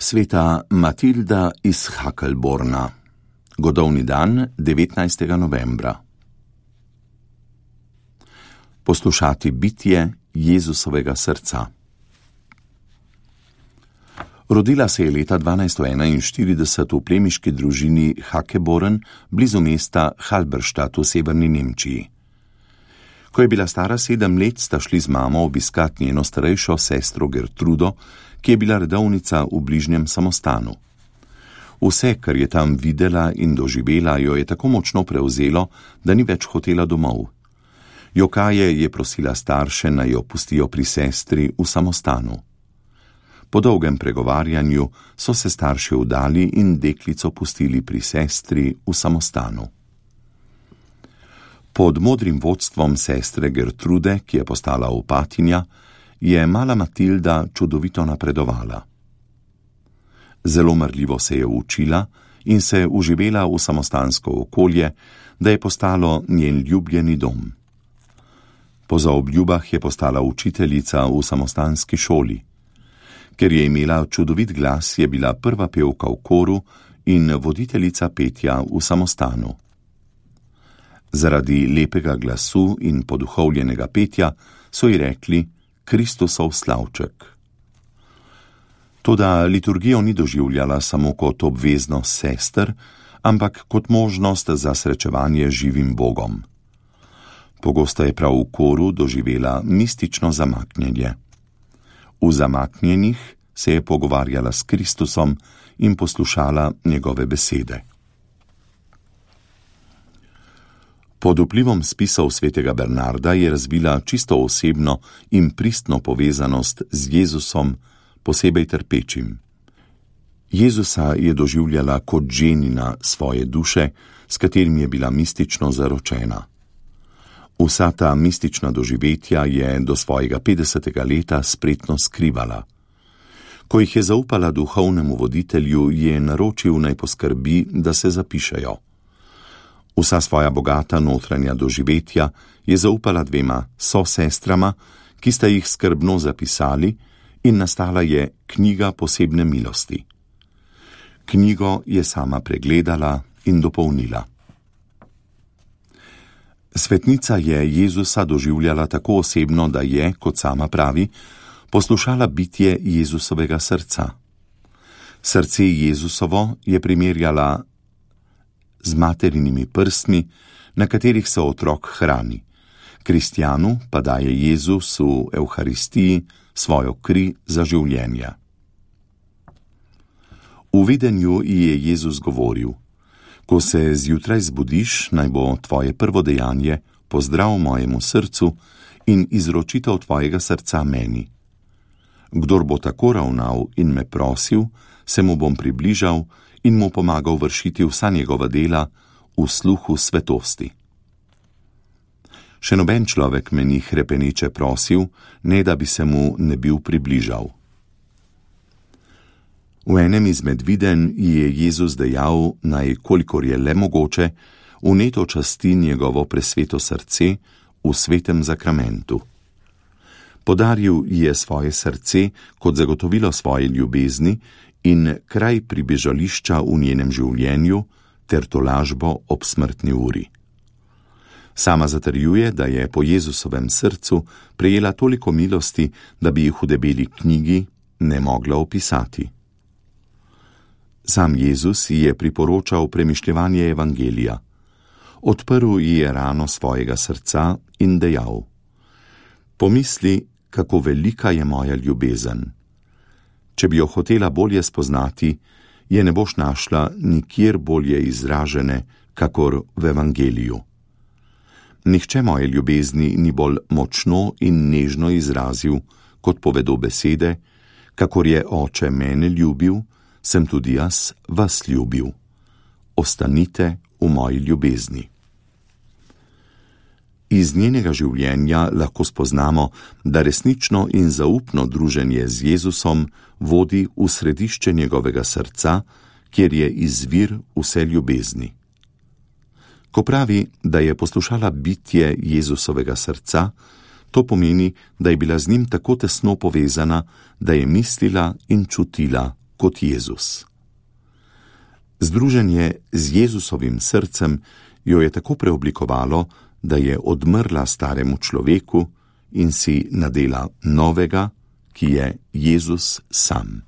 Sveta Matilda iz Hakelborna. Godovni dan 19. novembra. Poslušati bitje Jezusovega srca. Rodila se je leta 1241 v plemiški družini Hakeborn blizu mesta Halberstadt v severni Nemčiji. Ko je bila stara 7 let, sta šli z mamo obiskat njeno starejšo sestro Gertrudo, ki je bila redovnica v bližnjem samostanu. Vse, kar je tam videla in doživela, jo je tako močno prevzelo, da ni več hotela domov. Jokaje je prosila starše, naj jo pustijo pri sestri v samostanu. Po dolgem pregovarjanju so se starši vdali in deklico pustili pri sestri v samostanu. Pod modrim vodstvom sestre Gertrude, ki je postala opatinja, je mala Matilda čudovito napredovala. Zelo marljivo se je učila in se uživela v samostansko okolje, da je postalo njen ljubljeni dom. Po zaobljubah je postala učiteljica v samostanski šoli. Ker je imela čudovit glas, je bila prva pevka v koru in voditeljica petja v samostanu. Zaradi lepega glasu in poduhovljenega petja so ji rekli Kristusov slavček. Toda liturgijo ni doživljala samo kot obveznost sester, ampak kot možnost za srečevanje z živim Bogom. Pogosto je prav v koru doživela mistično zamaknjenje. V zamaknjenih se je pogovarjala s Kristusom in poslušala njegove besede. Pod vplivom spisov svetega Bernarda je razvila čisto osebno in pristno povezanost z Jezusom, posebej trpečim. Jezusa je doživljala kot ženina svoje duše, s katerim je bila mistično zaročena. Vsa ta mistična doživetja je do svojega 50. leta spretno skrivala. Ko jih je zaupala duhovnemu voditelju, je naročil naj poskrbi, da se zapišejo. Vsa svoja bogata notranja doživetja je zaupala 2 sosestrama, ki sta jih skrbno zapisali, in nastala je knjiga posebne milosti. Knjigo je sama pregledala in dopolnila. Svetnica je Jezusa doživljala tako osebno, da je, kot sama pravi, poslušala bitje Jezusovega srca. Srce Jezusovo je primerjala z materinimi prstmi, na katerih se otrok hrani. Kristjanu pa daje Jezus v Evharistiji svojo kri za življenje. V videnju ji je Jezus govoril: Ko se zjutraj zbudiš, naj bo tvoje prvo dejanje pozdrav mojemu srcu in izročitev tvojega srca meni. Kdor bo tako ravnal in me prosil, se mu bom približal in mu pomagal vršiti vsa njegova dela v sluhu svetosti. Še noben človek me ni hrepeneče prosil, ne da bi se mu ne bil približal. V enem izmed videnj je Jezus dejal, naj, kolikor je le mogoče, vneto časti njegovo presveto srce v svetem zakramentu. Podaril je svoje srce kot zagotovilo svoje ljubezni in kraj pribežališča v njenem življenju ter tolažbo ob smrtni uri. Sama zatrjuje, da je po Jezusovem srcu prejela toliko milosti, da bi jih v debeli knjigi ne mogla opisati. Sam Jezus ji je priporočal premišljevanje evangelija. Odprl ji je rano svojega srca in dejal: Pomisli, kako velika je moja ljubezen. Če bi jo hotela bolje spoznati, je ne boš našla nikjer bolje izražene, kakor v evangeliju. Nihče moje ljubezni ni bolj močno in nežno izrazil, kot povedo besede: kakor je Oče mene ljubil, sem tudi jaz vas ljubil. Ostanite v moji ljubezni. Iz njenega življenja lahko spoznamo, da resnično in zaupno druženje z Jezusom vodi v središče njegovega srca, kjer je izvir vse ljubezni. Ko pravi, da je poslušala bitje Jezusovega srca, to pomeni, da je bila z njim tako tesno povezana, da je mislila in čutila kot Jezus. Združenje z Jezusovim srcem jo je tako preoblikovalo, da je odmrla staremu človeku in si nadela novega, ki je Jezus sam.